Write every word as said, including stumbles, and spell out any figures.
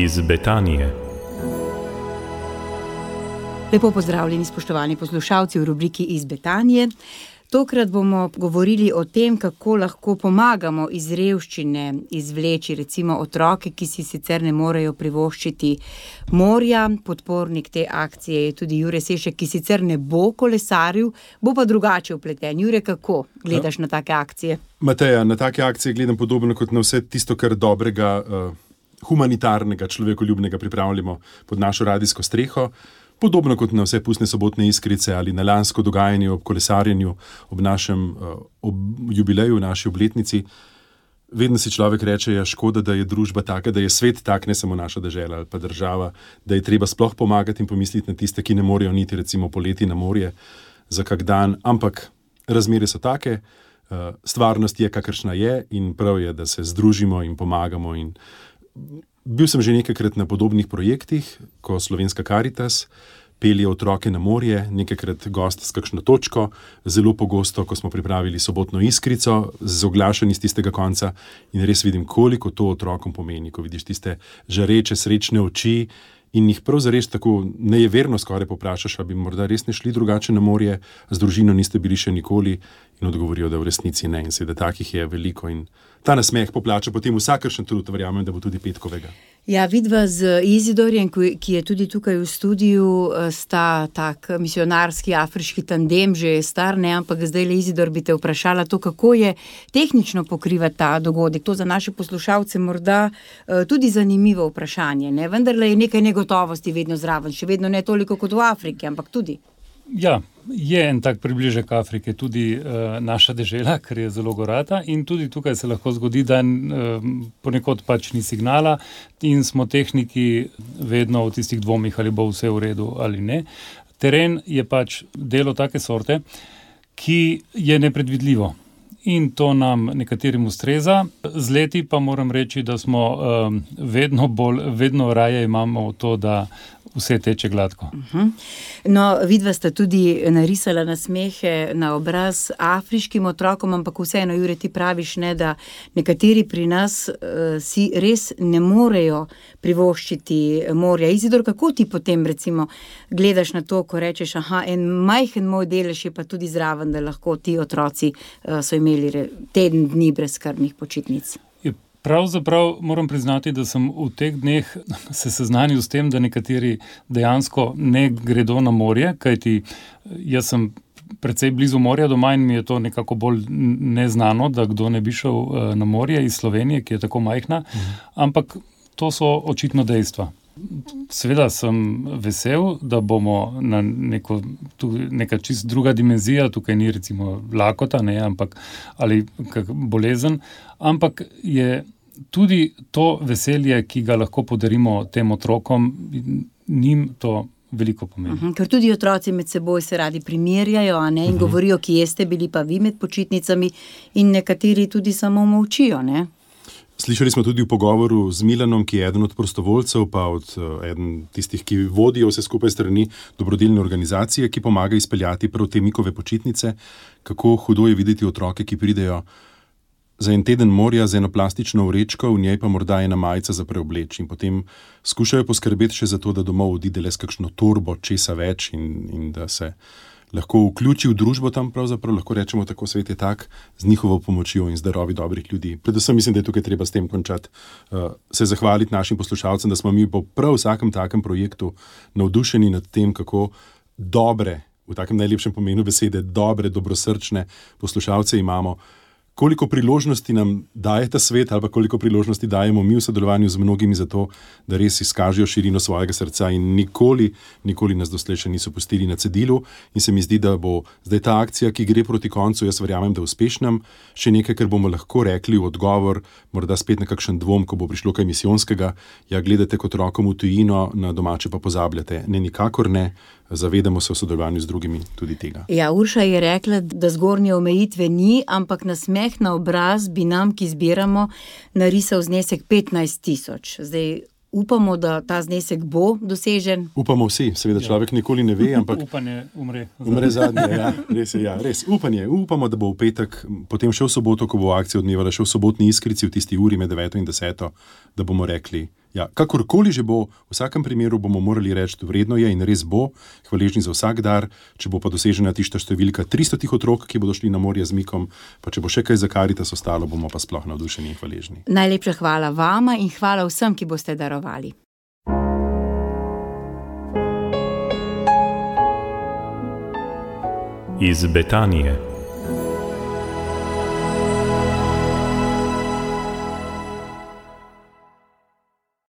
iz Betanije. Lepo pozdravljeni, spoštovani poslušalci v rubriki Iz Betanije. Tokrat bomo govorili o tem, kako lahko pomagamo iz revščine izvleči recimo otroke, ki si sicer ne morejo privoščiti morja. Podpornik te akcije je tudi Jure Sešek, ki sicer ne bo kolesaril, bo pa drugače vpleten. Jure, kako gledaš ja. na take akcije? Mateja, na take akcije gledam podobno kot na vse tisto, kar dobrega, uh, humanitarnega, človekoljubnega pripravljamo pod našo radijsko streho. Podobno kot na vse pustne sobotne iskrice ali na lansko dogajanje ob kolesarjenju, ob našem ob jubileju, naši obletnici. Vedno si človek reče, ja, škoda, da je družba taka, da je svet tak, ne samo naša dežela ali pa država, da je treba sploh pomagati in pomisliti na tiste, ki ne morejo niti recimo poleti na morje za kak dan, ampak razmere so take, stvarnost je, kakršna je in prav je, da se združimo in pomagamo. In bil sem že nekajkrat na podobnih projektih, ko Slovenska Karitas pelje otroke na morje, nekajkrat gost s kakšno točko, zelo pogosto, ko smo pripravili sobotno iskrico z oglašanji z tistega konca in res vidim, koliko to otrokom pomeni, ko vidiš tiste žareče, srečne oči in jih prav zares tako nejeverno skoraj poprašaš, a bi morda res ne šli drugače na morje, z družino niste bili še nikoli in odgovorijo, da v resnici ne in seveda takih je veliko in ta nasmeh poplača potem vsakršen trud, verjamem, da bo tudi petkovega. Ja, vidva z Izidorjem, ki je tudi tukaj v studiu, sta tak misionarski afriški tandem, že je star, ne, ampak zdaj le Izidor bi te vprašala to, kako je tehnično pokriva ta dogodek. To za naše poslušalce morda tudi zanimivo vprašanje, ne, vendar je nekaj negotovosti vedno zraven, še vedno ne toliko kot v Afriki, ampak tudi. Ja, je en tak približek Afrike, tudi uh, naša dežela, ker je zelo gorata in tudi tukaj se lahko zgodi, da uh, ponekod pač ni signala in smo tehniki vedno v tistih dvomih, ali bo vse v redu ali ne. Teren je pač delo take sorte, ki je nepredvidljivo in to nam nekaterim ustreza. Z leti pa moram reči, da smo um, vedno bolj, vedno raje imamo to, da vse teče gladko. Uh-huh. No, vidva sta tudi narisala nasmehe na obraz afriškim otrokom, ampak vseeno, Jure, ti praviš, ne, da nekateri pri nas uh, si res ne morejo privoščiti morja. Izidor, kako ti potem recimo gledaš na to, ko rečeš, aha, en majhen moj delež je pa tudi zraven, da lahko ti otroci uh, so imeli re, teden dni brezskrbnih počitnic? Pravzaprav moram priznati, da sem v teh dneh se seznanil s tem, da nekateri dejansko ne gredo na morje, kajti jaz sem precej blizu morja doma in mi je to nekako bolj neznano, da kdo ne bi šel na morje iz Slovenije, ki je tako majhna, mhm. ampak to so očitno dejstva. Seveda sem vesel, da bomo na neko, tu, neka čist druga dimenzija, tukaj ni recimo lakota, ne, ampak, ali kak bolezen, ampak je tudi to veselje, ki ga lahko podarimo tem otrokom, njim to veliko pomeni. Uh-huh, ker tudi otroci med seboj se radi primerjajo, a ne, in uh-huh. govorijo, kje ste bili pa vi med počitnicami in nekateri tudi samo molčijo, ne? Slišali smo tudi v pogovoru z Milanom, ki je eden od prostovoljcev, pa od uh, eden tistih, ki vodijo vse skupaj strani dobrodelne organizacije, ki pomaga izpeljati prav te Mikove počitnice, kako hudo je videti otroke, ki pridejo za en teden morja z eno plastično vrečko, v njej pa morda ena majica za preobleč in potem skušajo poskrbeti še za to, da domov odide le s kakšno torbo, česa več in, in da se lahko vključi v družbo tam, pravzaprav lahko rečemo tako, svet je tak, z njihovo pomočjo in z darovi dobrih ljudi. Predvsem mislim, da je tukaj treba s tem končati, uh, se zahvaliti našim poslušalcem, da smo mi po prav vsakem takem projektu navdušeni nad tem, kako dobre, v takem najlepšem pomenu besede, dobre, dobrosrčne poslušalce imamo. Koliko priložnosti nam daje ta svet ali pa koliko priložnosti dajemo mi v sodelovanju z mnogimi za to, da res izkažejo širino svojega srca in nikoli, nikoli nas doslej še niso pustili na cedilu in se mi zdi, da bo zdaj ta akcija, ki gre proti koncu, jaz verjamem, da uspešnem, še nekaj, kar bomo lahko rekli v odgovor, morda spet na kakšen dvom, ko bo prišlo kaj misijonskega, ja, gledate kot rokom v tujino, na domače pa pozabljate. Ne, nikakor ne. Zavedamo se v sodelovanju z drugimi tudi tega. Ja, Urša je rekla, da zgornje omejitve ni, ampak nasmeh na obraz bi nam, ki zbiramo, narisal znesek petnajst tisoč. Zdaj upamo, da ta znesek bo dosežen. Upamo vsi, seveda človek ja. nikoli ne ve, ampak upanje umre. Umre zadnje, ja, res je, ja, res. Upanje, upamo, da bo v petek, potem še v soboto, ko bo akcija odmevala, še v sobotni iskrici v tisti uri med deveto in deseto, da bomo rekli, Ja, kakorkoli že bo, v vsakem primeru bomo morali reči, da vredno je in res bo, hvaležni za vsak dar, če bo pa dosežena tista številka tristo tih otrok, ki bodo šli na morje z Mikom, pa če bo še kaj za Karitas ostalo, bomo pa sploh navdušeni in hvaležni. Najlepša hvala vama in hvala vsem, ki boste darovali. Iz Betanije.